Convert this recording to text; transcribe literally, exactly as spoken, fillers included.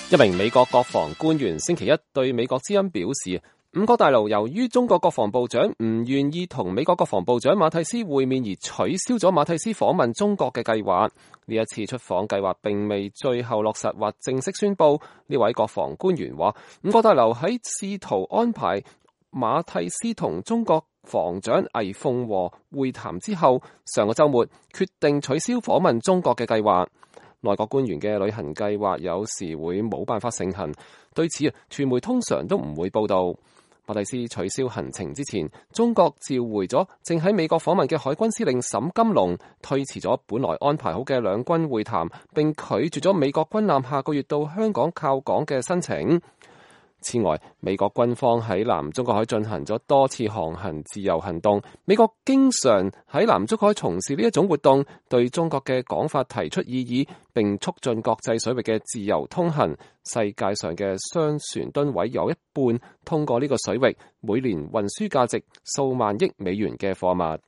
一名美國國防官員星期一對美國之音表示，五角大樓由於中國國防部長唔願意同美國國防部長馬蒂斯會面而取消咗馬蒂斯訪問中國嘅計劃。呢一次出訪計劃並未最後落實或正式宣布。呢位國防官員話，五角大樓喺試圖安排馬蒂斯同中國防長魏鳳和會談之後，上個週末決定取消訪問中國嘅計劃。內閣官員嘅旅行計劃有時會冇辦法成行，對此啊，傳媒通常都唔會報道。馬蒂斯取消行程之前，中國召回咗正喺美國訪問嘅海軍司令沈金龍，推遲咗本來安排好嘅兩軍會談，並拒絕咗美國軍艦下個月到香港靠港嘅申請。此外，美國軍方喺南中國海進行咗多次航行自由行動。美國經常喺南中國海從事呢一種活動，對中國嘅講法提出異議，並促進國際水域嘅自由通行。世界上嘅商船噸位有一半通過呢個水域，每年運輸價值數萬億美元嘅貨物。